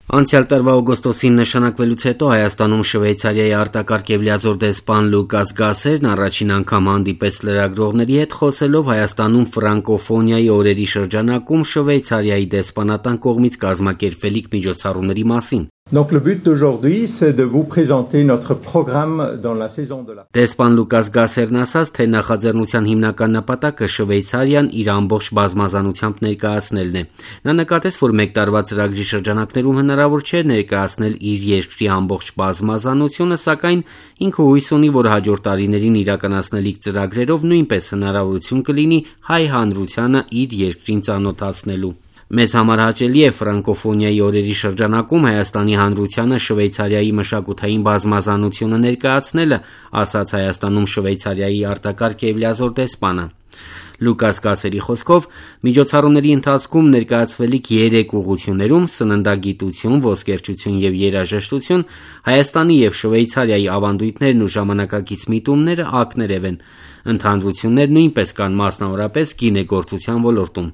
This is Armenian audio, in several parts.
Անցյալ տարվա օգոստոսին նշանակվելուց հետո Հայաստանում Շվեյցարիայի արտակարգ եւ լիազոր դեսպան Լուկաս Գասերն առաջին անգամ հանդիպեց լրագրողների հետ, խոսելով Հայաստանում ֆրանկոֆոնիայի օրերի շրջանակում Շվեյցարիայի դեսպանատան կողմից կազմակերպվելիք միջոցառումների մասին։ Donc le but d'aujourd'hui, c'est de vous présenter notre programme dans la saison de la... Դեսպան Լուկաս Գասերն ասաց, թե նախաձեռնության հիմնական նպատակը Շվեյցարիան իր ամբողջ բազմազանությամբ ներկայացնելն է։ Նա նկատեց, որ մեկ տարվա ծրագրի շրջանակներում հնարավոր չէ ներկայացնել իր երկրի ամբողջ բազմազանությունը, սակայն ինքը հույս ունի, որ հաջորդ տարիներին իրականացնելիք ծրագրերով նույնպես հնարավորություն կլինի հայ հանրությանը իր երկրին ծանոթացնելու։ Մեզ համար հաճելի է ֆրանկոֆոնիայի օրերի շրջանակում Հայաստանի հանրությանը Շվեյցարիայի մշակութային բազմազանությունը ներկայացնելը, ասաց Հայաստանում Շվեյցարիայի արտակարգ եւ լիազոր դեսպանը։ Լուկաս Գասերի խոսքով միջոցառումների ընթացքում ներկայացվելիք 3 ուղղություններում սննդագիտություն, ոսկերչություն եւ երաժշտություն Հայաստանի եւ Շվեյցարիայի ավանդույթներն ու ժամանակակից միտումները ակներև են։ Ընդհանրություններ նույնպես կան, մասնավորապես գինեգործության ոլորտում։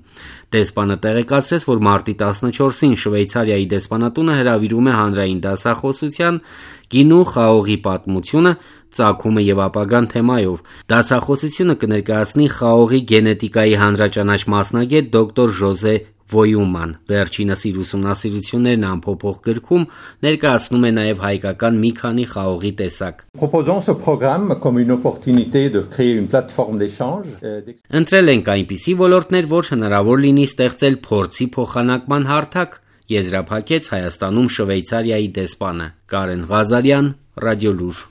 Դեսպանը տեղեկացրեց, որ մարտի 14-ին Շվեյցարիայի դեսպանատունը հրավիրում է հանրային դասախոսության գինու խաղողի պատմությունը, ծագումը եւ ապագան թեմայով։ Դասախոսությունը կներկայացնի խաղողի գենետիկայի հանրաճանաչ մասնագետ դոկտոր Ժոզե Վոյուման։ Վերջինս իր ուսումնասիրություններն ամփոփող գրքում ներկայացնում է նաև հայկական մի քանի խաղողի տեսակ։ Proposons ce programme comme une opportunité de créer une plateforme d'échange. Ընտրել ենք այնպիսի ոլորտներ, որ հնարավոր լինի ստեղծել փորձի փոխանակման հարթակ, եզրափակեց Հայաստանում Շվեյցարիայի դեսպանը։ Կարեն Ղազարյան, Ռադիոլուր։